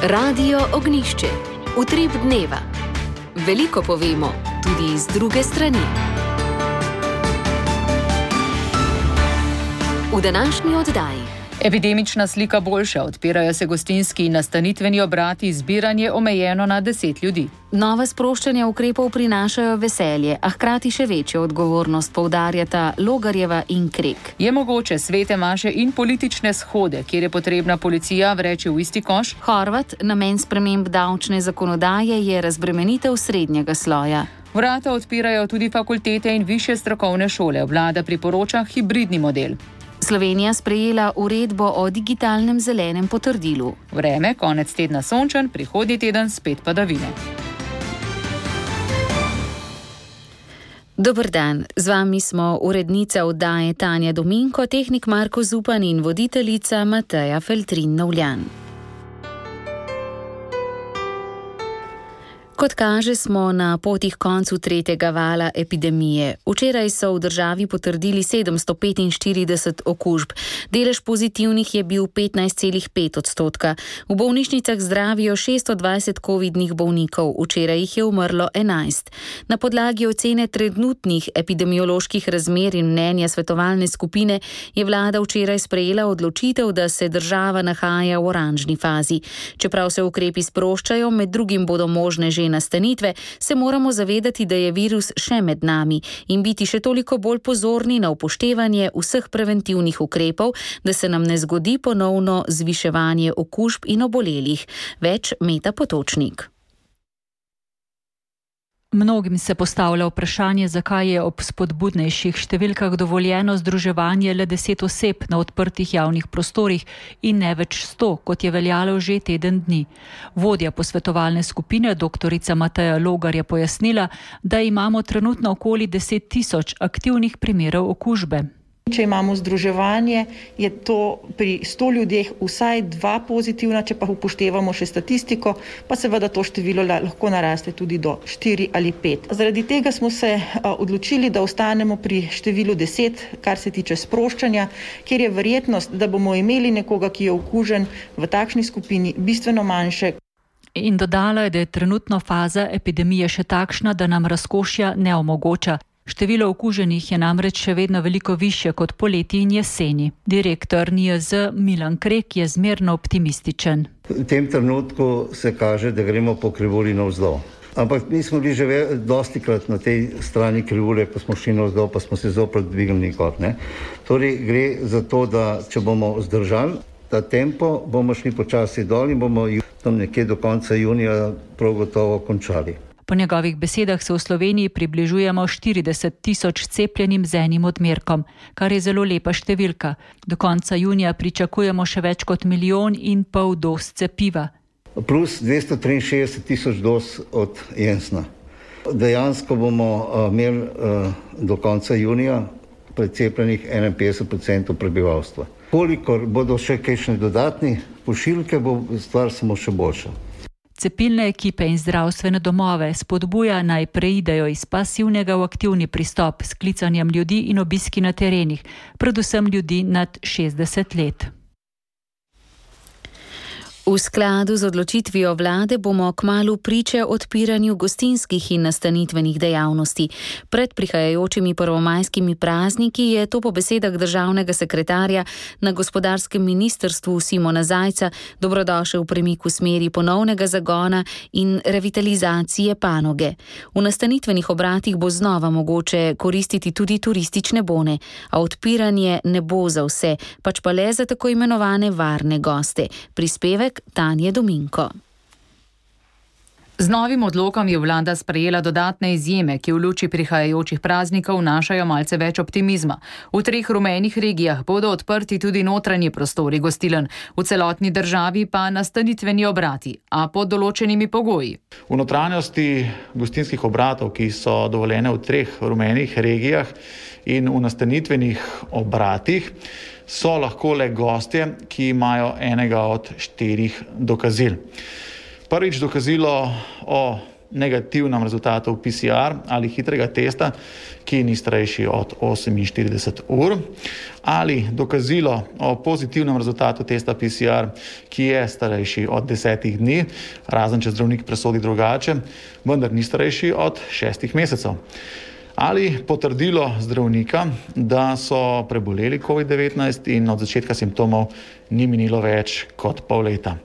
Radio Ognjišče. Utrip dneva. Veliko povemo, tudi iz druge strani. V današnji oddaji. Epidemična slika boljša, odpirajo se gostinski in nastanitveni obrati, zbiranje omejeno na 10 ljudi. Nova sproščanja ukrepov prinašajo veselje, a hkrati še večjo odgovornost, poudarjata Logarjeva in Krek. Je mogoče svete maše in politične shode, kjer je potrebna policija vreči v isti koš? Horvat, namen sprememb davčne zakonodaje je razbremenitev srednjega sloja. Vrata odpirajo tudi fakultete in višje strokovne šole. Vlada priporoča hibridni model. Slovenija sprejela uredbo o digitalnem zelenem potrdilu. Vreme, konec tedna sončen, prihodnji teden spet padavine. Dober dan, z vami smo urednica oddaje Tanja Dominko, tehnik Marko Zupan in voditeljica Mateja Feltrin-Novljan. Kot kaže, smo na poti k koncu tretjega vala epidemije. Včeraj so v državi potrdili 745 okužb. Delež pozitivnih je bil 15,5%. V bolnišnicah zdravijo 620 covidnih bolnikov, včeraj jih je umrlo 11. Na podlagi ocene trenutnih epidemioloških razmer in mnenja svetovalne skupine je vlada včeraj sprejela odločitev, da se država nahaja v oranžni fazi. Čeprav se ukrepi sproščajo, med drugim bodo možne že nastanitve, se moramo zavedati, da je virus še med nami in biti še toliko bolj pozorni na upoštevanje vseh preventivnih ukrepov, da se nam ne zgodi ponovno zviševanje okužb in obolelih. Več Meta Potočnik. Mnogim se postavlja vprašanje, zakaj je ob spodbudnejših številkah dovoljeno združevanje le 10 oseb na odprtih javnih prostorih in ne več 100, kot je veljalo že teden dni. Vodja posvetovalne skupine, doktorica Mateja Logar, je pojasnila, da imamo trenutno okoli 10 tisoč aktivnih primerov okužbe. Če imamo združevanje, je to pri 100 ljudeh vsaj 2 pozitivna, če pa upoštevamo še statistiko, pa seveda to število lahko naraste tudi do 4 ali 5. Zaradi tega smo se odločili, da ostanemo pri številu 10, kar se tiče sproščanja, kjer je verjetnost, da bomo imeli nekoga, ki je okužen v takšni skupini, bistveno manjše. In dodala je, da je trenutno faza epidemije še takšna, da nam razkošja ne omogoča. Število okuženih je namreč še vedno veliko višje kot poleti in jeseni. Direktor NIJZ Milan Krek je zmerno optimističen. V tem trenutku se kaže, da gremo po krivulji navzdol. Ampak mi smo bili že dostikrat na tej strani krivulje, ko smo šli navzdol, pa smo se zopet dvignili kot. Torej gre za to, da če bomo zdržali ta tempo, bomo šli počasi dol in bomo tam nekje do konca junija prav gotovo končali. Po njegovih besedah se v Sloveniji približujemo 40 tisoč cepljenim z enim odmerkom, kar je zelo lepa številka. Do konca junija pričakujemo še več kot 1,5 milijona doz cepiva. Plus 263 tisoč doz od Jensna. Dejansko bomo imeli do konca junija precepljenih 51% prebivalstva. Kolikor bodo še kakšne dodatne pošiljke, bo stvar samo še boljša. Cepilne ekipe in zdravstvene domove spodbuja naj preidejo iz pasivnega v aktivni pristop s klicanjem ljudi in obiski na terenih, predvsem ljudi nad 60 let. V skladu z odločitvijo vlade bomo kmalu priče odpiranju gostinskih in nastanitvenih dejavnosti. Pred prihajajočimi prvomajskimi prazniki je to po besedah državnega sekretarja na gospodarskem ministrstvu Simona Zajca dobrodošel premik v smeri ponovnega zagona in revitalizacije panoge. V nastanitvenih obratih bo znova mogoče koristiti tudi turistične bone, a odpiranje ne bo za vse, pač pa le za tako imenovane varne goste. Prispevek Tanja Dominko. Z novim odlokom je vlada sprejela dodatne izjeme, ki v luči prihajajočih praznikov vnašajo malce več optimizma. V 3 rumenih regijah bodo odprti tudi notranji prostori gostiln, v celotni državi pa nastanitveni obrati, a pod določenimi pogoji. V notranjosti gostinskih obratov, ki so dovoljene v 3 rumenih regijah in v nastanitvenih obratih, so lahko le gostje, ki imajo enega od 4 dokazil. Prvič, dokazilo o negativnem rezultatu PCR ali hitrega testa, ki ni starejši od 48 ur, ali dokazilo o pozitivnem rezultatu testa PCR, ki je starejši od 10 dni, razen če zdravnik presodi drugače, vendar ni starejši od 6 mesecev. Ali potrdilo zdravnika, da so preboleli COVID-19 in od začetka simptomov ni minilo več kot pol leta.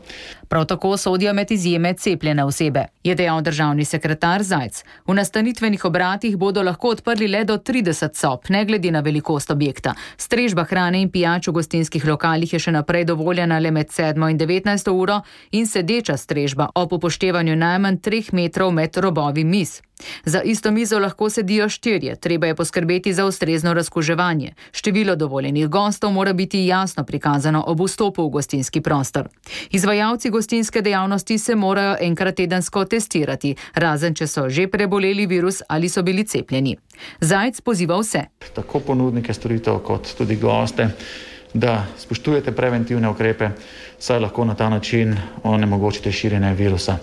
Prav tako sodijo med izjeme cepljene osebe, je dejal državni sekretar Zajc. V nastanitvenih obratih bodo lahko odprli le do 30 sob, ne glede na velikost objekta. Strežba hrane in pijač v gostinskih lokalih je še naprej dovoljena le med 7 in 19 uro in sedeča strežba ob upoštevanju najmanj 3 metrov med robovi miz. Za isto mizo lahko sedijo 4, treba je poskrbeti za ustrezno razkuževanje. Število dovoljenih gostov mora biti jasno prikazano ob vstopu v gostinski prostor. Izvajalci gostinske dejavnosti se morajo enkrat tedensko testirati, razen če so že preboleli virus ali so bili cepljeni. Zajc poziva vse. Tako ponudnike storitev kot tudi goste, da spoštujete preventivne ukrepe, saj lahko na ta način onemogočite širjenje virusa.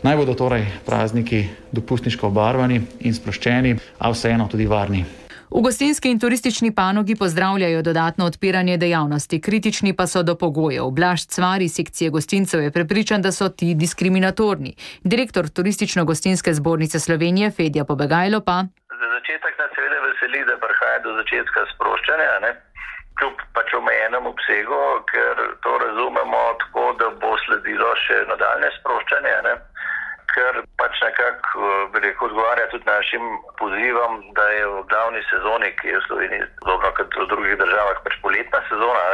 Naj bodo torej prazniki dopustniško obarvani in sproščeni, a vseeno tudi varni. V gostinski in turistični panogi pozdravljajo dodatno odpiranje dejavnosti, kritični pa so do pogojev. Blaž Cvar iz sekcije gostincev je prepričan, da so ti diskriminatorni. Direktor Turistično-gostinske zbornice Slovenije Fedja Pobegajlo pa: Za začetek nas seveda veseli, da prihaja do začetka sproščanja, kljub pač omejenem obsegu, ker to razumemo tako, da bo sledilo še nadaljne sproščanje, ker pač nekako odgovarja tudi našim pozivom, da je v glavni sezoni, ki je v Sloveniji podobno kot v drugih državah, pač poletna sezona,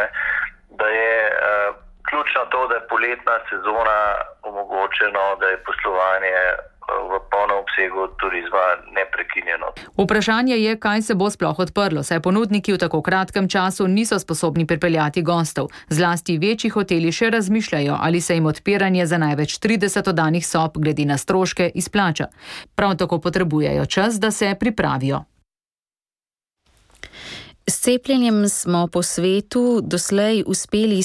da je ključno to, da je poletna sezona omogočeno, da je poslovanje v polnem obsegu turizma neprekinjeno. Vprašanje je, kaj se bo sploh odprlo, saj ponudniki v tako kratkem času niso sposobni pripeljati gostov. Zlasti večji hoteli še razmišljajo, ali se jim odpiranje za največ 30 oddanih sob glede na stroške izplača. Prav tako potrebujejo čas, da se pripravijo. S cepljenjem smo po svetu doslej uspeli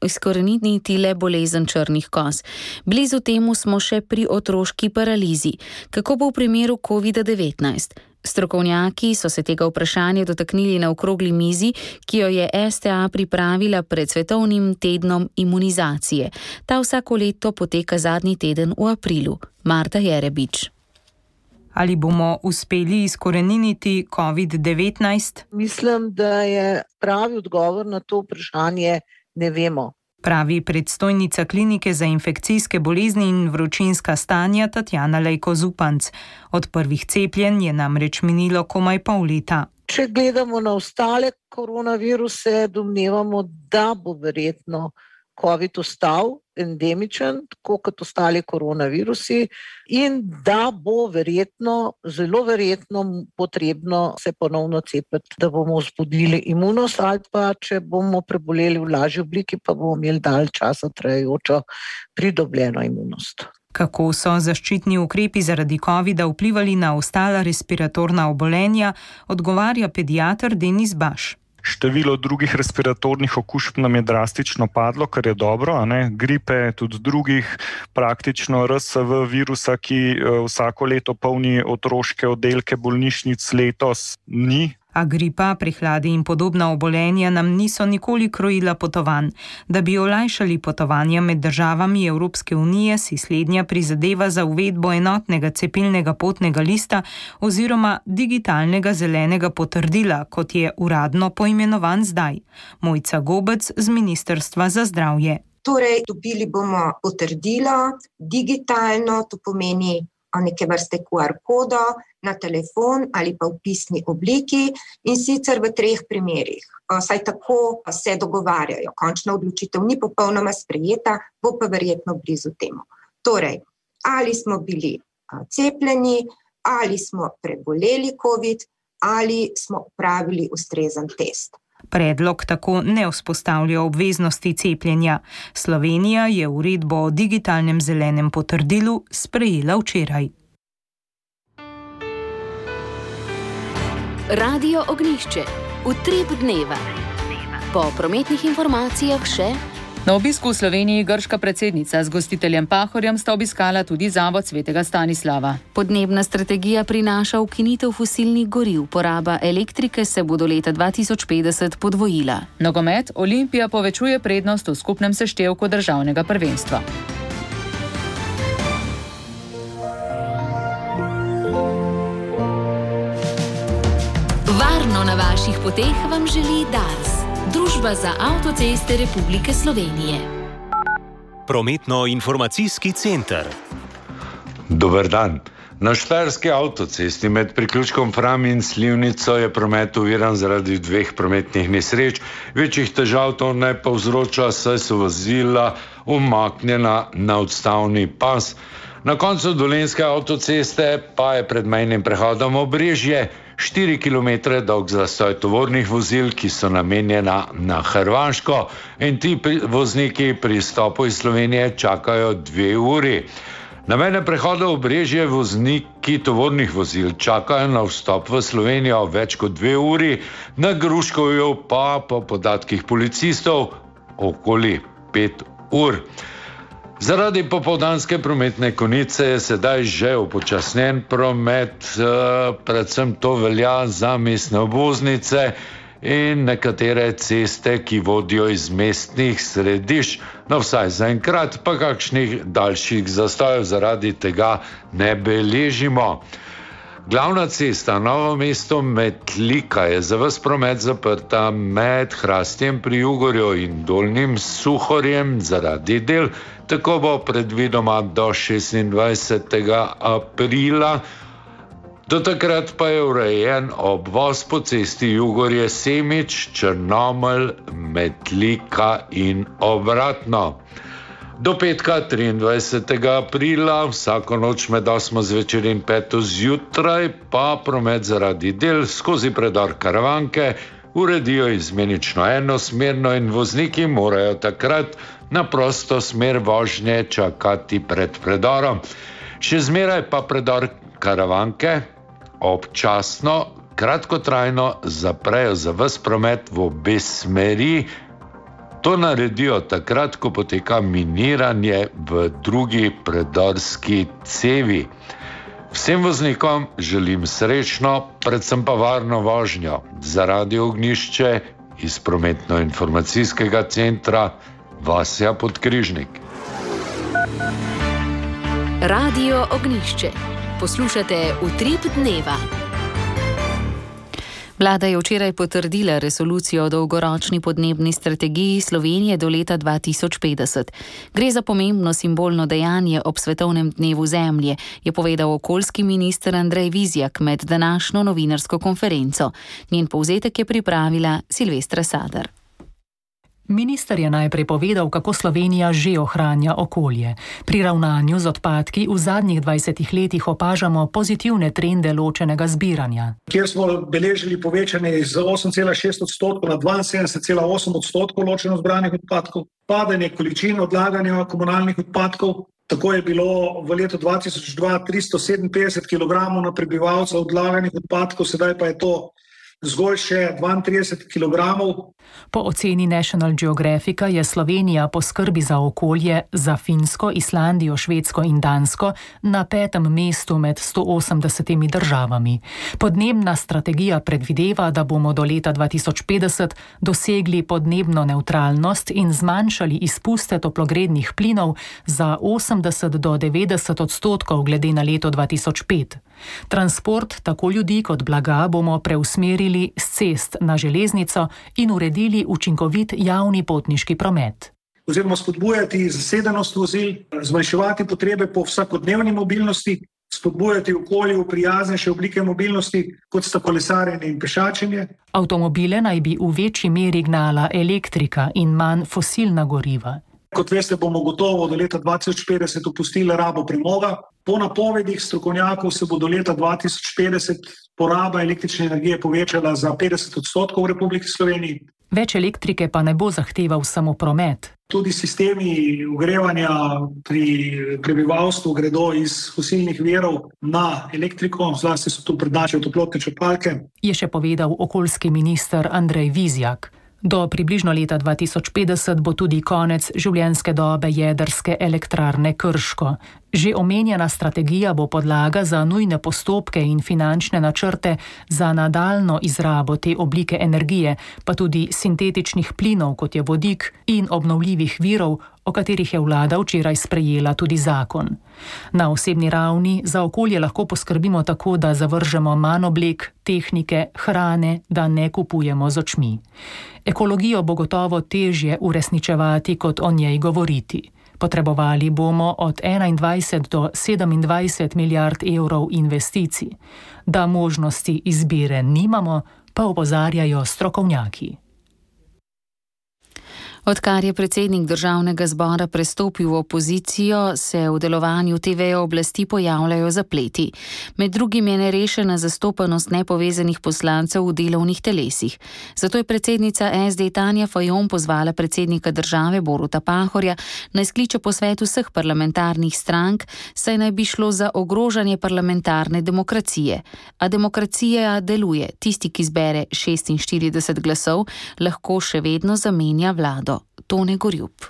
izkoreniniti le bolezen črnih koz. Blizu temu smo še pri otroški paralizi. Kako bo v primeru COVID-19? Strokovnjaki so se tega vprašanja dotaknili na okrogli mizi, ki jo je STA pripravila pred svetovnim tednom imunizacije. Ta vsako leto poteka zadnji teden v aprilu. Marta Jerebič. Ali bomo uspeli izkoreniniti COVID-19? Mislim, da je pravi odgovor na to vprašanje ne vemo. Pravi predstojnica klinike za infekcijske bolezni in vročinska stanja Tatjana Lejko-Zupanc. Od prvih cepljenj je namreč minilo komaj pol leta. Če gledamo na ostale koronaviruse, domnevamo, da bo verjetno COVID ostal endemičen, tako kot ostali koronavirusi, in da bo verjetno, zelo verjetno potrebno se ponovno cepiti, da bomo vzbudili imunost, ali pa če bomo preboleli v lažji obliki, pa bomo imeli dalj časa trajajočo pridobljeno imunost. Kako so zaščitni ukrepi zaradi COVID-a vplivali na ostala respiratorna obolenja, odgovarja pediater Denis Baš. Število drugih respiratornih okužb nam je drastično padlo, kar je dobro, gripe, tudi drugih, praktično RSV virusa, ki vsako leto polni otroške oddelke bolnišnic, letos ni. A gripa, prehladi in podobna obolenja nam niso nikoli krojila potovanj. Da bi olajšali potovanja med državami Evropske unije, si slednja prizadeva za uvedbo enotnega cepilnega potnega lista oziroma digitalnega zelenega potrdila, kot je uradno poimenovan zdaj. Mojca Gobec z Ministrstva za zdravje. Torej, dobili bomo potrdilo digitalno, to pomeni neke vrste QR kodo na telefon ali pa v pisni obliki, in sicer v 3 primerih. Saj tako se dogovarjajo. Končna odločitev ni popolnoma sprejeta, bo pa verjetno blizu temu. Torej, ali smo bili cepljeni, ali smo preboleli COVID, ali smo opravili ustrezen test. Predlog tako ne vzpostavlja obveznosti cepljenja. Slovenija je uredbo o digitalnem zelenem potrdilu sprejela včeraj. Radio Ognjišče. Utrip dneva. Po prometnih informacijah še Na obisku v Sloveniji grška predsednica z gostiteljem Pahorjem sta obiskala tudi Zavod svetega Stanislava. Podnebna strategija prinaša ukinitev fosilnih goriv, poraba elektrike se bo do leta 2050 podvojila. Nogomet, Olimpija povečuje prednost v skupnem seštevku državnega prvenstva. Varno na vaših poteh vam želi Dars, Družba za avtoceste Republike Slovenije. Prometno-informacijski center. Dober dan. Na štajerski avtocesti med priključkom Fram in Slivnico je promet oviran zaradi 2 prometnih nesreč. Večjih težav to ne povzroča, saj so vozila umaknjena na odstavni pas. Na koncu dolenjske avtoceste pa je pred mejnim prehodom Obrežje 4 km dolg zastoj tovornih vozil, ki so namenjena na Hrvaško, in ti vozniki pri izstopu iz Slovenije čakajo 2 uri. Na mejnem prehodu Obrežje vozniki tovornih vozil čakajo na vstop v Slovenijo več kot 2 uri, na Gruškovju pa po podatkih policistov okoli 5 ur. Zaradi popoldanske prometne konice je sedaj že upočasnjen promet, predvsem to velja za mestne obvoznice in nekatere ceste, ki vodijo iz mestnih središč. No, vsaj zaenkrat pa kakšnih daljših zastojev zaradi tega ne beležimo. Glavna cesta Novo mesto-Metlika je za ves promet zaprta med Hrastjem pri Jugorju in Dolnjim Suhorjem zaradi del. Tako bo predvidoma do 26. aprila. Do takrat pa je urejen obvoz po cesti Jugorje-Semič, Črnomelj, Metlika in obratno. Do petka 23. aprila, vsako noč med 8. zvečer in 5. zjutraj, pa promet zaradi del skozi predor Karavanke uredijo izmenično enosmerno in vozniki morajo takrat na prosto smer vožnje čakati pred predorom. Še zmeraj pa predor Karavanke občasno, kratkotrajno zaprejo za ves promet v obe smeri. To naredijo takrat, ko poteka miniranje v drugi predorski cevi. Vsem voznikom želim srečno, predvsem pa varno vožnjo. Za Radio Ognjišče iz prometno-informacijskega centra Vasja Podkrižnik. Radio Ognjišče. Poslušate Utrip dneva. Vlada je včeraj potrdila resolucijo o dolgoročni podnebni strategiji Slovenije do leta 2050. Gre za pomembno simbolno dejanje ob Svetovnem dnevu Zemlje, je povedal okoljski minister Andrej Vizjak med današnjo novinarsko konferenco. Njen povzetek je pripravila Silvestra Sadar. Minister je najprej povedal, kako Slovenija že ohranja okolje. Pri ravnanju z odpadki v zadnjih 20 letih opažamo pozitivne trende ločenega zbiranja. Kjer smo beležili povečanje iz 8,6% na 72,8% ločeno zbranih odpadkov, padanje količin odlaganja komunalnih odpadkov. Tako je bilo v letu 2002 357 kg na prebivalca odlaganih odpadkov, sedaj pa je to zgolj še 32 kg. Po oceni National Geographica je Slovenija po skrbi za okolje za Finsko, Islandijo, Švedsko in Dansko na 5. mestu med 180 državami. Podnebna strategija predvideva, da bomo do leta 2050 dosegli podnebno nevtralnost in zmanjšali izpuste toplogrednih plinov za 80 do 90% glede na leto 2005. Transport tako ljudi kot blaga bomo preusmerili s cest na železnico in uredili učinkovit javni potniški promet. Oziroma spodbujati zasedenost vozil, zmanjševati potrebe po vsakodnevni mobilnosti, spodbujati okolju prijaznejše oblike mobilnosti, kot sta kolesarjenje in pešačenje. Avtomobile naj bi v večji meri gnala elektrika in manj fosilna goriva. Kot veste, bomo gotovo do leta 2050 opustili rabo premoga. Po napovedih strokovnjakov se bo do leta 2050 poraba električne energije povečala za 50% v Republiki Sloveniji. Več elektrike pa ne bo zahteval samo promet. Tudi sistemi ogrevanja pri prebivalstvu gredo iz fosilnih virov na elektriko, zlasti so tu prednjačijo toplotne črpalke. Je še povedal okoljski minister Andrej Vizjak. Do približno leta 2050 bo tudi konec življenjske dobe jedrske elektrarne Krško. Že omenjena strategija bo podlaga za nujne postopke in finančne načrte za nadaljno izrabo te oblike energije, pa tudi sintetičnih plinov, kot je vodik, in obnovljivih virov, o katerih je vlada včeraj sprejela tudi zakon. Na osebni ravni za okolje lahko poskrbimo tako, da zavržemo manj oblek, tehnike, hrane, da ne kupujemo z očmi. Ekologijo bo gotovo težje uresničevati, kot o njej govoriti. Potrebovali bomo od 21 do 27 milijard evrov investicij. Da možnosti izbire nimamo, pa opozarjajo strokovnjaki. Odkar je predsednik državnega zbora prestopil v opozicijo, se v delovanju te veje oblasti pojavljajo zapleti. Med drugim je nerešena zastopanost nepovezanih poslancev v delovnih telesih. Zato je predsednica SD Tanja Fajon pozvala predsednika države Boruta Pahorja naj skliče posvet vseh parlamentarnih strank, saj naj bi šlo za ogrožanje parlamentarne demokracije. A demokracija deluje. Tisti, ki zbere 46 glasov, lahko še vedno zamenja vlado. Tone Gorjup.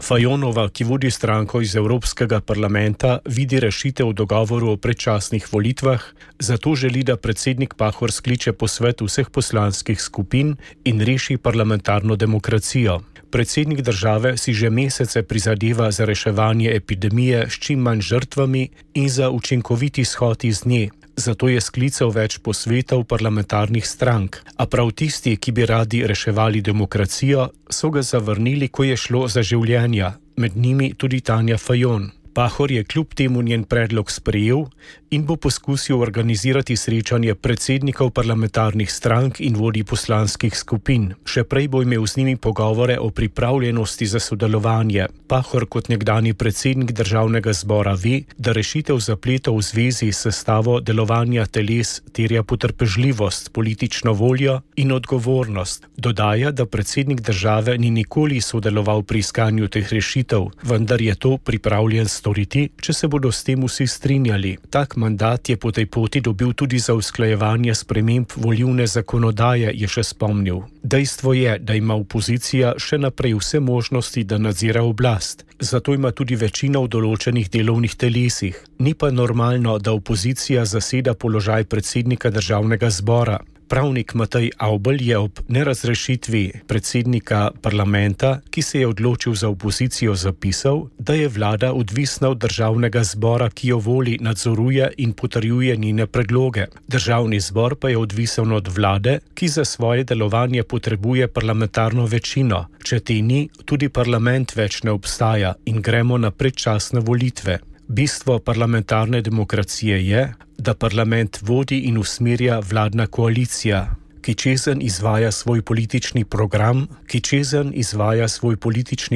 Fajonova, ki vodi stranko iz Evropskega parlamenta, vidi rešitev v dogovoru o predčasnih volitvah, zato želi, da predsednik Pahor skliče posvet vseh poslanskih skupin in reši parlamentarno demokracijo. Predsednik države si že mesece prizadeva za reševanje epidemije s čim manj žrtvami in za učinkovit izhod iz nje. Zato je sklical več posvetov parlamentarnih strank, a prav tisti, ki bi radi reševali demokracijo, so ga zavrnili, ko je šlo za življenja, med njimi tudi Tanja Fajon. Pahor je kljub temu njen predlog sprejel in bo poskusil organizirati srečanje predsednikov parlamentarnih strank in vodij poslanskih skupin. Še prej bo imel z njimi pogovore o pripravljenosti za sodelovanje. Pahor kot nekdanji predsednik državnega zbora ve, da rešitev zapletov v zvezi s sestavo delovanja teles terja potrpežljivost, politično voljo in odgovornost. Dodaja, da predsednik države ni nikoli sodeloval pri iskanju teh rešitev, vendar je to pripravljen storiti, če se bodo s tem vsi strinjali. Tak mandat je po tej poti dobil tudi za usklajevanje sprememb volilne zakonodaje, je še spomnil. Dejstvo je, da ima opozicija še naprej vse možnosti, da nadzira oblast. Zato ima tudi večina v določenih delovnih telesih. Ni pa normalno, da opozicija zaseda položaj predsednika državnega zbora. Pravnik Matej Avbelj je ob nerazrešitvi predsednika parlamenta, ki se je odločil za opozicijo, zapisal, da je vlada odvisna od državnega zbora, ki jo voli, nadzoruje in potrjuje njene predloge. Državni zbor pa je odvisen od vlade, ki za svoje delovanje potrebuje parlamentarno večino. Če te ni, tudi parlament več ne obstaja in gremo na predčasne volitve. Bistvo parlamentarne demokracije je, da parlament vodi in usmerja vladna koalicija, ki čezenj izvaja svoj politični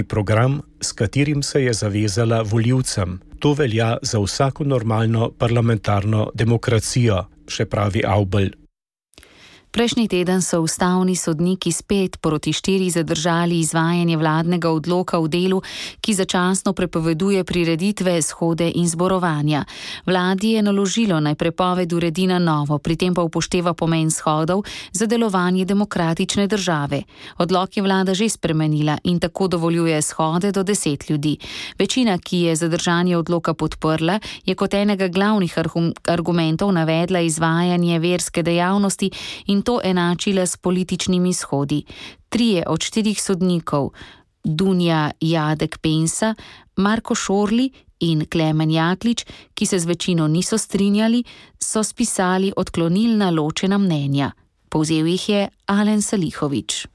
program, s katerim se je zavezala volivcem. To velja za vsako normalno parlamentarno demokracijo, še pravi Avbelj. Prejšnji teden so ustavni sodniki spet proti 4 zadržali izvajanje vladnega odloka v delu, ki začasno prepoveduje prireditve, shode in zborovanja. Vladi je naložilo naj prepoved uredi na novo, pri tem pa upošteva pomen shodov za delovanje demokratične države. Odlok je vlada že spremenila in tako dovoljuje shode do 10 ljudi. Večina, ki je zadržanje odloka podprla, je kot enega glavnih argumentov navedla izvajanje verske dejavnosti in to enačila s političnimi shodi. 3 od 4 sodnikov, Dunja Jadek Pensa, Marko Šorli in Klemen Jaklič, ki se z večino niso strinjali, so spisali odklonilna ločena mnenja. Povzel jih je Alen Salihovič.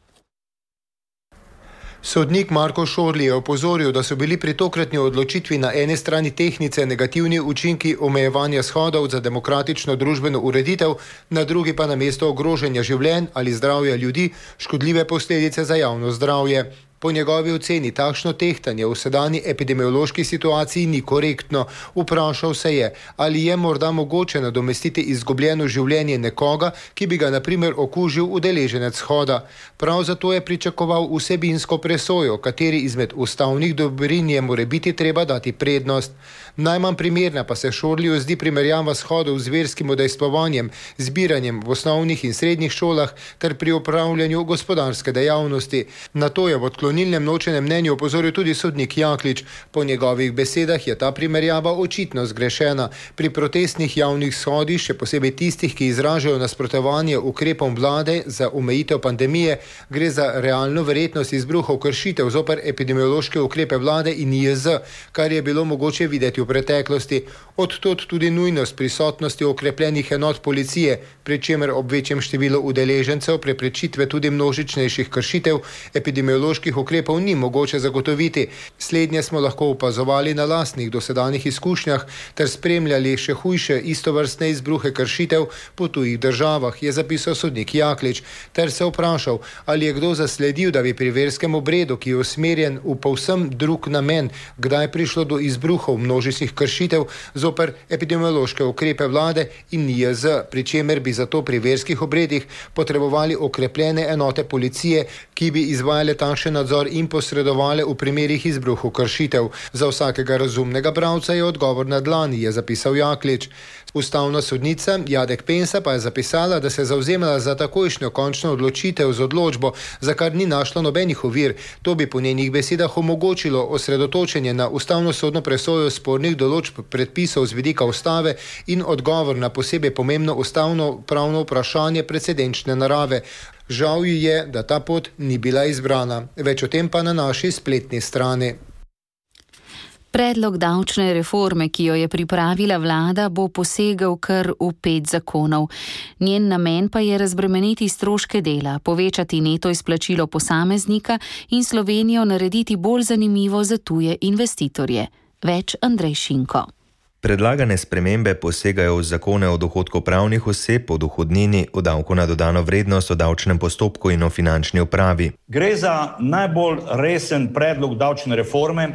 Sodnik Marko Šorli je opozoril, da so bili pri tokratni odločitvi na eni strani tehnice negativni učinki omejevanja shodov za demokratično družbeno ureditev, na drugi pa namesto ogrožanja življenj ali zdravja ljudi škodljive posledice za javno zdravje. Po njegovi oceni takšno tehtanje v sedanji epidemiološki situaciji ni korektno. Vprašal se je, ali je morda mogoče nadomestiti izgubljeno življenje nekoga, ki bi ga na primer okužil udeleženec shoda. Prav zato je pričakoval vsebinsko presojo, kateri izmed ustavnih dobrin je morebiti treba dati prednost. Najmanj primerna pa se Šorliju zdi primerjava shodov z verskim udejstvovanjem, zbiranjem v osnovnih in srednjih šolah ter pri upravljanju gospodarske dejavnosti. Na to je v odklonilnem ločenem mnenju opozoril tudi sodnik Jaklič. Po njegovih besedah je ta primerjava očitno zgrešena. Pri protestnih javnih shodih, še posebej tistih, ki izražajo nasprotovanje ukrepom vlade za omejitev pandemije, gre za realno verjetnost izbruhov kršitev zoper epidemiološke ukrepe vlade in NIJZ, kar je bilo mogoče videti v preteklosti. Odtod tudi nujnost prisotnosti okrepljenih enot policije, pri čemer ob večjem številu udeležencev preprečitve tudi množičnejših kršitev epidemioloških ukrepov ni mogoče zagotoviti. Slednje smo lahko opazovali na lastnih dosedanjih izkušnjah ter spremljali še hujše istovrstne izbruhe kršitev po tujih državah, je zapisal sodnik Jaklič, ter se vprašal, ali je kdo zasledil, da bi pri verskem obredu, ki je usmerjen v povsem drug namen, kdaj prišlo do izbruhov množičnih kršitev zoper epidemiološke ukrepe vlade in NIJZ, pri čemer bi zato pri verskih obredih potrebovali okrepljene enote policije, ki bi izvajale takšen nadzor in posredovale v primerih izbruhov kršitev. Za vsakega razumnega bralca je odgovor na dlani, je zapisal Jaklič. Ustavna sodnica Jadek Pensa pa je zapisala, da se je zavzemala za takojšnjo končno odločitev z odločbo, za kar ni našla nobenih ovir. To bi po njenih besedah omogočilo osredotočenje na ustavno-sodno presojo spornih določb predpisov z vidika ustave in odgovor na posebej pomembno ustavno pravno vprašanje precedenčne narave. Žal ji je, da ta pot ni bila izbrana. Več o tem pa na naši spletni strani. Predlog davčne reforme, ki jo je pripravila vlada, bo posegel kar v 5 zakonov. Njen namen pa je razbremeniti stroške dela, povečati neto izplačilo posameznika in Slovenijo narediti bolj zanimivo za tuje investitorje. Več Andrej Šinko. Predlagane spremembe posegajo v zakone o dohodku pravnih oseb, o dohodnini, o davku na dodano vrednost, o davčnem postopku in o finančni upravi. Gre za najbolj resen predlog davčne reforme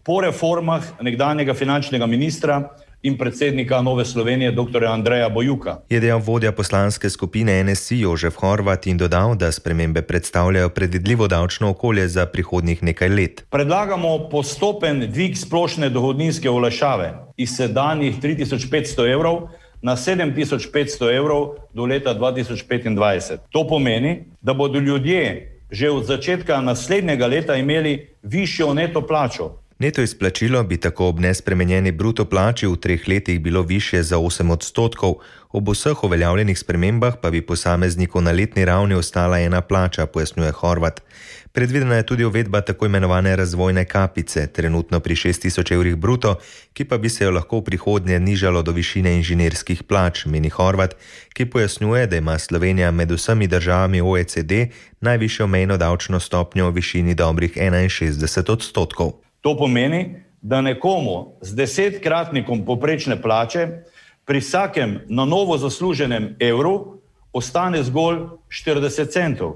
po reformah nekdanjega finančnega ministra in predsednika Nove Slovenije dr. Andreja Bojuka. Je dejal vodja poslanske skupine NSI Jožef Horvat in dodal, da spremembe predstavljajo predvidljivo davčno okolje za prihodnjih nekaj let. Predlagamo postopen dvig splošne dohodninske olajšave iz sedanjih 3500 evrov na 7500 evrov do leta 2025. To pomeni, da bodo ljudje že od začetka naslednjega leta imeli višjo neto plačo. Neto izplačilo bi tako ob nespremenjeni bruto plači v 3 letih bilo višje za 8%, ob vseh uveljavljenih spremembah pa bi posamezniku na letni ravni ostala ena plača, pojasnjuje Horvat. Predvidena je tudi uvedba tako imenovane razvojne kapice, trenutno pri 6000 evrih bruto, ki pa bi se jo lahko v prihodnje nižalo do višine inženirskih plač, meni Horvat, ki pojasnjuje, da ima Slovenija med vsemi državami OECD najvišjo mejno davčno stopnjo v višini dobrih 61%. To pomeni, da nekomu z 10-kratnikom povprečne plače pri vsakem na novo zasluženem evru ostane zgolj 40 centov.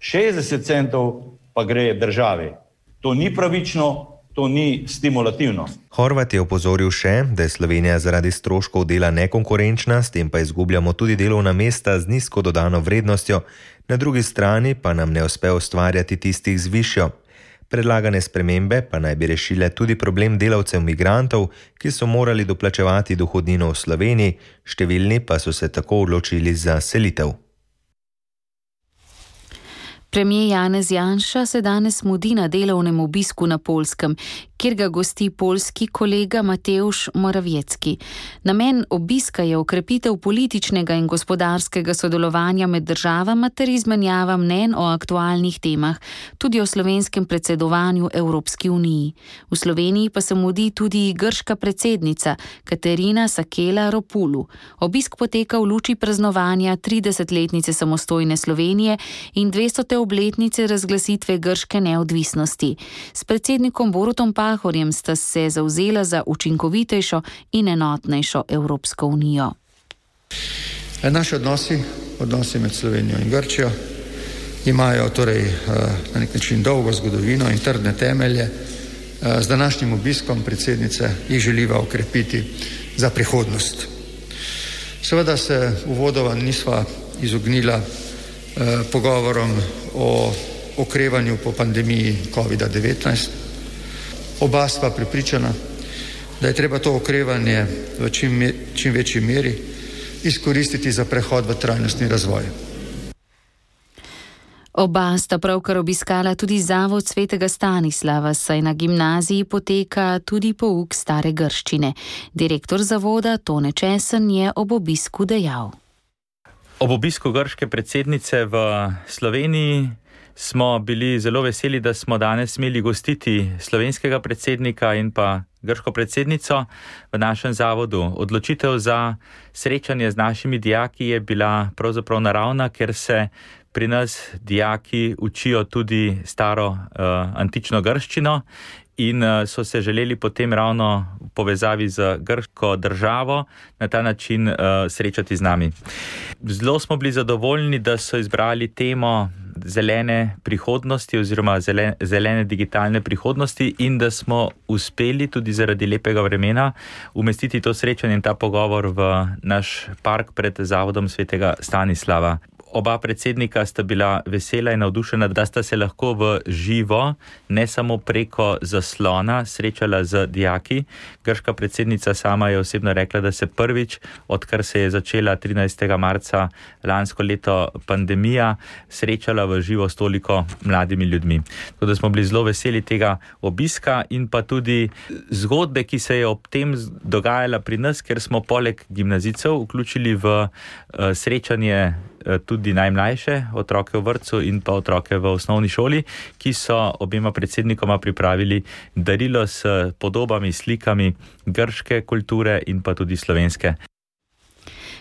60 centov pa gre državi. To ni pravično, to ni stimulativno. Horvat je opozoril še, da je Slovenija zaradi stroškov dela nekonkurenčna, s tem pa izgubljamo tudi delovna mesta z nizko dodano vrednostjo, na drugi strani pa nam ne uspe ustvarjati tistih z višjo. Predlagane spremembe pa naj bi rešile tudi problem delavcev migrantov, ki so morali doplačevati dohodnino v Sloveniji, številni pa so se tako odločili za selitev. Premier Janez Janša se danes mudi na delovnem obisku na Poljskem, kjer ga gosti poljski kolega Mateusz Morawiecki. Namen obiska je okrepitev političnega in gospodarskega sodelovanja med državama ter izmenjava mnenj o aktualnih temah, tudi o slovenskem predsedovanju Evropski uniji. V Sloveniji pa se mudi tudi grška predsednica Katerina Sakela-Ropulu. Obisk poteka v luči praznovanja 30-letnice samostojne Slovenije in 200. obletnice razglasitve grške neodvisnosti. S predsednikom Borutom Pahorjem sta se zavzela za učinkovitejšo in enotnejšo Evropsko unijo. Naši odnosi med Slovenijo in Grčijo imajo torej na nek način dolgo zgodovino in trdne temelje. Z današnjim obiskom predsednice jih želiva okrepiti za prihodnost. Seveda se uvodoma nisva izognila pogovorom o okrevanju po pandemiji COVID-19. Oba stva prepričana, da je treba to okrevanje v čim večji meri izkoristiti za prehod v trajnostni razvoj. Oba sta pravkar obiskala tudi zavod svetega Stanislava, saj na gimnaziji poteka tudi pouk stare grščine. Direktor zavoda Tone Česen je ob obisku dejal. Ob obisku grške predsednice v Sloveniji smo bili zelo veseli, da smo danes smeli gostiti slovenskega predsednika in pa grško predsednico v našem zavodu. Odločitev za srečanje z našimi dijaki je bila pravzaprav naravna, ker se pri nas dijaki učijo tudi staro antično grščino in so se želeli potem ravno v povezavi z grško državo na ta način srečati z nami. Zelo smo bili zadovoljni, da so izbrali temo zelene prihodnosti oziroma zelene digitalne prihodnosti in da smo uspeli tudi zaradi lepega vremena umestiti to srečanje in ta pogovor v naš park pred zavodom svetega Stanislava. Oba predsednika sta bila vesela in navdušena, da sta se lahko v živo, ne samo preko zaslona, srečala z dijaki. Grška predsednica sama je osebno rekla, da se prvič, odkar se je začela 13. marca lansko leto pandemija, srečala v živo s toliko mladimi ljudmi. Tako da smo bili zelo veseli tega obiska in pa tudi zgodbe, ki se je ob tem dogajala pri nas, ker smo poleg gimnazijcev vključili v srečanje tudi najmlajše, otroke v vrtcu in pa otroke v osnovni šoli, ki so obema predsednikoma pripravili darilo s podobami, slikami grške kulture in pa tudi slovenske.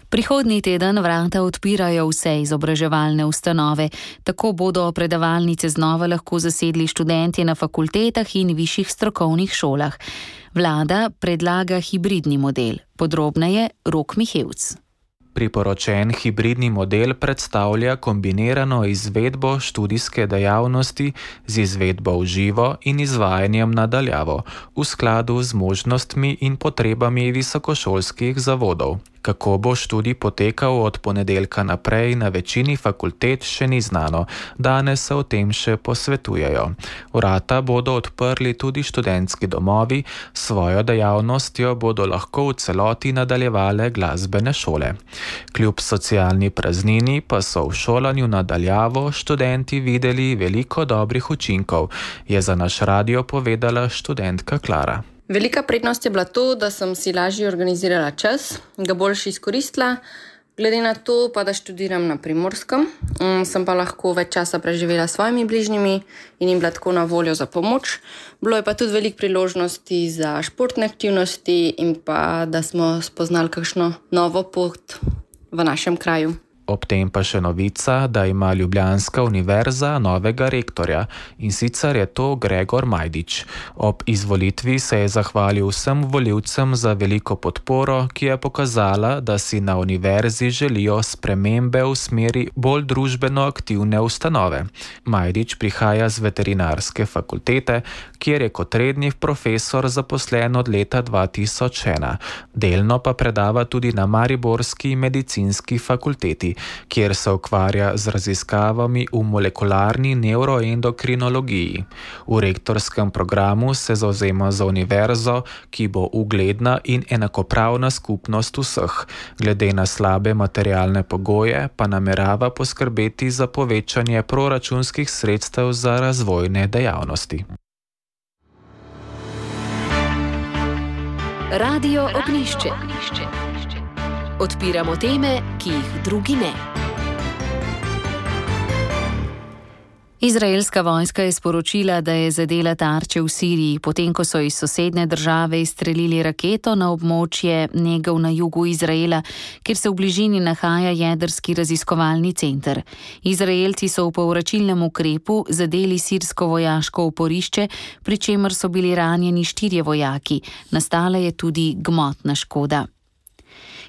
Prihodnji teden vrata odpirajo vse izobraževalne ustanove. Tako bodo predavalnice znova lahko zasedli študentje na fakultetah in višjih strokovnih šolah. Vlada predlaga hibridni model. Podrobneje Rok Mihevc. Priporočen hibridni model predstavlja kombinirano izvedbo študijske dejavnosti z izvedbo v živo in izvajanjem na daljavo v skladu z možnostmi in potrebami visokošolskih zavodov. Kako bo študij potekal od ponedeljka naprej na večini fakultet, še ni znano. Danes se o tem še posvetujejo. Vrata bodo odprli tudi študentski domovi, svojo dejavnostjo bodo lahko v celoti nadaljevale glasbene šole. Kljub socialni praznini pa so v šolanju na daljavo študenti videli veliko dobrih učinkov, je za naš radio povedala študentka Klara. Velika prednost je bila to, da sem si lažje organizirala čas, ga boljše izkoristila. Glede na to, pa da študiram na Primorskem, sem pa lahko več časa preživela s svojimi bližnjimi in jim bila tako na voljo za pomoč. Bilo je pa tudi veliko priložnosti za športne aktivnosti in pa da smo spoznali kakšno novo pot v našem kraju. Ob tem pa še novica, da ima Ljubljanska univerza novega rektorja, in sicer je to Gregor Majdič. Ob izvolitvi se je zahvalil vsem volivcem za veliko podporo, ki je pokazala, da si na univerzi želijo spremembe v smeri bolj družbeno aktivne ustanove. Majdič prihaja z veterinarske fakultete, kjer je kot redni profesor zaposlen od leta 2001. Delno pa predava tudi na mariborski medicinski fakulteti, kjer se ukvarja z raziskavami v molekularni nevroendokrinologiji. V rektorskem programu se zavzema za univerzo, ki bo ugledna in enakopravna skupnost vseh. Glede na slabe materialne pogoje pa namerava poskrbeti za povečanje proračunskih sredstev za razvojne dejavnosti. Radio Ognjišče. Odpiramo teme, ki jih drugi ne. Izraelska vojska je sporočila, da je zadela tarče v Siriji, potem ko so iz sosednje države izstrelili raketo na območje Negev na jugu Izraela, kjer se v bližini nahaja jedrski raziskovalni center. Izraelci so v povračilnem ukrepu zadeli sirsko vojaško oporišče, pri čemer so bili ranjeni 4 vojaki. Nastala je tudi gmotna škoda.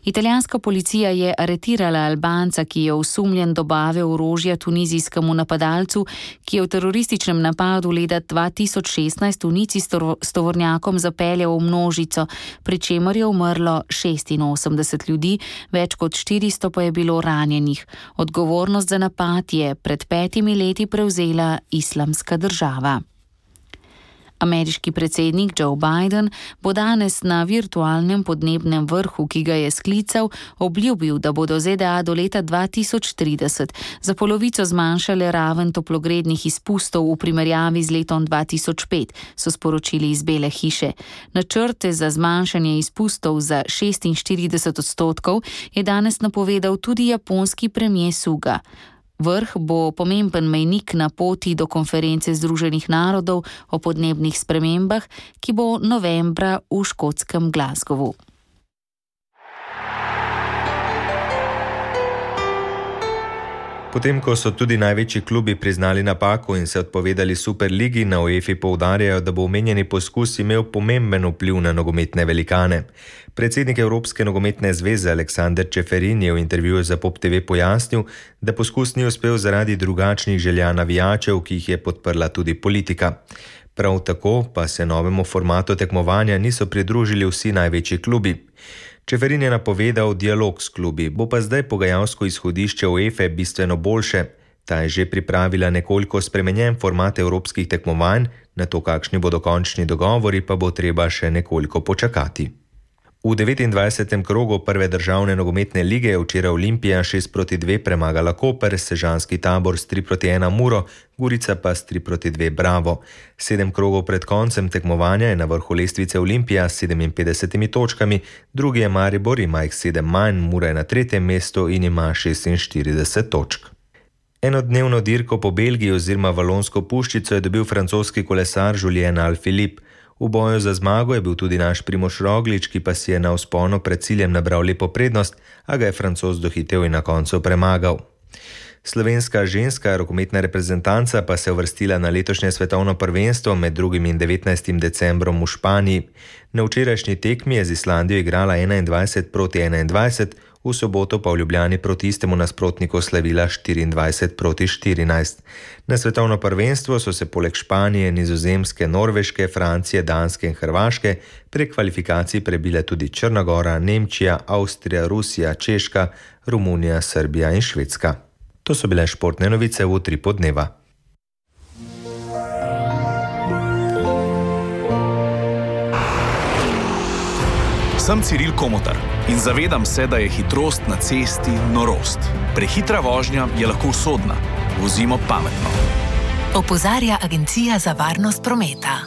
Italijanska policija je aretirala Albanca, ki je osumljen dobave orožja tunizijskemu napadalcu, ki je v terorističnem napadu leta 2016 v Nici s tovornjakom zapeljal v množico, pri čemer je umrlo 86 ljudi, več kot 400 pa je bilo ranjenih. Odgovornost za napad je pred 5 leti prevzela Islamska država. Ameriški predsednik Joe Biden bo danes na virtualnem podnebnem vrhu, ki ga je sklical, obljubil, da bodo ZDA do leta 2030 za polovico zmanjšale raven toplogrednih izpustov v primerjavi z letom 2005, so sporočili iz Bele hiše. Načrte za zmanjšanje izpustov za 46% je danes napovedal tudi japonski premier Suga. Vrh bo pomemben mejnik na poti do konference Združenih narodov o podnebnih spremembah, ki bo novembra v škotskem Glasgowu. Potem, ko so tudi največji klubi priznali napako in se odpovedali Superligi, na UEFA poudarjajo, da bo omenjeni poskus imel pomemben vpliv na nogometne velikane. Predsednik Evropske nogometne zveze Aleksander Čeferin je v intervjuju za Pop TV pojasnil, da poskus ni uspel zaradi drugačnih želja navijačev, ki jih je podprla tudi politika. Prav tako pa se novemu formatu tekmovanja niso pridružili vsi največji klubi. Čeferin je napovedal dialog s klubi, bo pa zdaj pogajalsko izhodišče UEFA bistveno boljše. Ta je že pripravila nekoliko spremenjen format evropskih tekmovanj, na to, kakšni bodo končni dogovori, pa bo treba še nekoliko počakati. V 29. krogu prve državne nogometne lige je včeraj Olimpija 6-2 premagala Koper, Sežanski Tabor s 3-1 Muro, Gorica pa s 3-2 Bravo. 7 krogov pred koncem tekmovanja je na vrhu lestvice Olimpija s 57 točkami, drugi je Maribor, ima jih 7 manj, Mura je na 3. mestu in ima 46 točk. Enodnevno dirko po Belgiji oziroma Valonsko puščico je dobil francoski kolesar Julien Alaphilippe. V boju za zmago je bil tudi naš Primož Roglič, ki pa si je na vzponu pred ciljem nabral lepo prednost, a ga je Francoz dohitel in na koncu premagal. Slovenska ženska rokometna reprezentanca pa se je uvrstila na letošnje svetovno prvenstvo med 2. in 19. decembrom v Španiji. Na včerajšnji tekmi je z Islandijo igrala 21-21, v soboto pa v Ljubljani proti istemu nasprotniku slavila 24-14. Na svetovno prvenstvo so se poleg Španije, Nizozemske, Norveške, Francije, Danske in Hrvaške prek kvalifikacij prebile tudi Črna Gora, Nemčija, Avstrija, Rusija, Češka, Romunija, Srbija in Švedska. To so bile športne novice v Utripu dneva. Sem Ciril Komotar in zavedam se, da je hitrost na cesti norost. Prehitra vožnja je lahko usodna. Vozimo pametno. Opozarja Agencija za varnost prometa.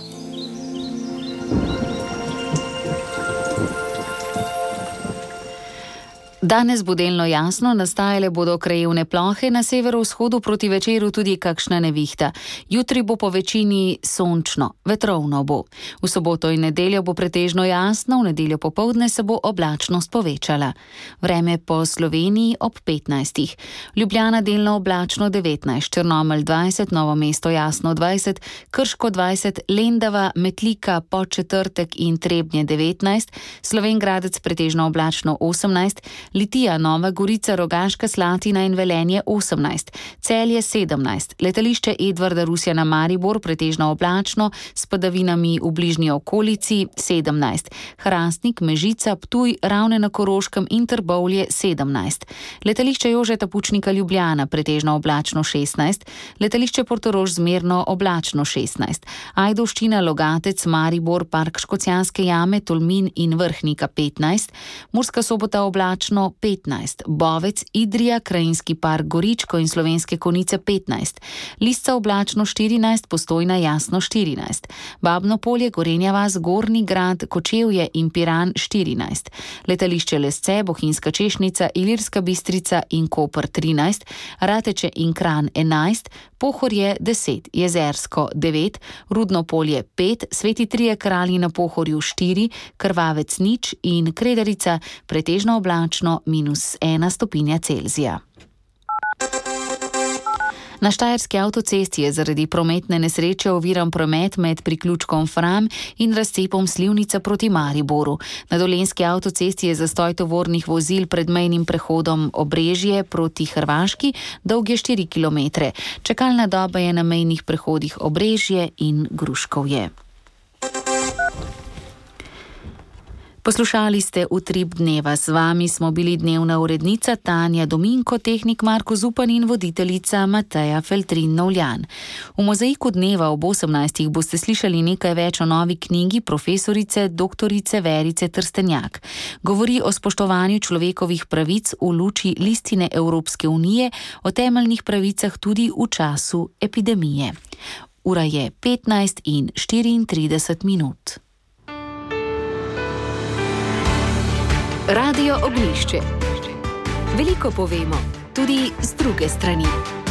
Danes bo delno jasno, nastajale bodo krajevne plohe, na severovzhodu proti večeru tudi kakšna nevihta. Jutri bo po večini sončno, vetrovno bo. V soboto in nedeljo bo pretežno jasno, v nedeljo popoldne se bo oblačnost povečala. Vreme po Sloveniji ob 15. Ljubljana delno oblačno 19, Črnomelj 20, Novo mesto jasno 20, Krško 20, Lendava, Metlika, Podčetrtek in Trebnje 19, Slovenj Gradec pretežno oblačno 18, Litija, Nova Gorica, Rogaška Slatina in Velenje 18, Celje 17, letališče Edvarda Rusjana Maribor pretežno oblačno s padavinami v bližnji okolici 17, Hrastnik, Mežica, Ptuj, Ravne na Koroškem in Trbovlje 17, letališče Jožeta Pučnika Ljubljana pretežno oblačno 16, letališče Portorož zmerno oblačno 16, Ajdovščina, Logatec, Maribor, Park Škocjanske jame, Tolmin in Vrhnika 15, Murska Sobota oblačno 15, Bovec, Idrija, Krajinski park Goričko in Slovenske Konjice 15, Lisca oblačno 14, Postojna jasno 14, Babno Polje, Gorenja vas, Gornji Grad, Kočevje in Piran 14, letališče Lesce, Bohinjska Češnica, Ilirska Bistrica in Koper 13, Rateče in Kranj 11, Pohorje 10, Jezersko 9, Rudno Polje 5, Sveti Trije Kralji na Pohorju 4, Krvavec 0 in Kredarica pretežno oblačno -1 stopinja Celzija. Na Štajerski avtocesti je zaradi prometne nesreče oviran promet med priključkom Fram in razcepom Slivnica proti Mariboru. Na Dolenjski avtocesti je zastoj tovornih vozil pred mejnim prehodom Obrežje proti Hrvaški, dolg je 4 km. Čakalna doba je na mejnih prehodih Obrežje in Gruškovje. Poslušali ste Utrip dneva. Z vami smo bili dnevna urednica Tanja Dominko, tehnik Marko Zupan in voditeljica Mateja Feltrin-Novljan. V mozaiku dneva ob 18. boste slišali nekaj več o novi knjigi profesorice doktorice Verice Trstenjak. Govori o spoštovanju človekovih pravic v luči listine Evropske unije, o temeljnih pravicah tudi v času epidemije. Ura je 15:34. Radio Ognjišče. Veliko povemo, tudi z druge strani.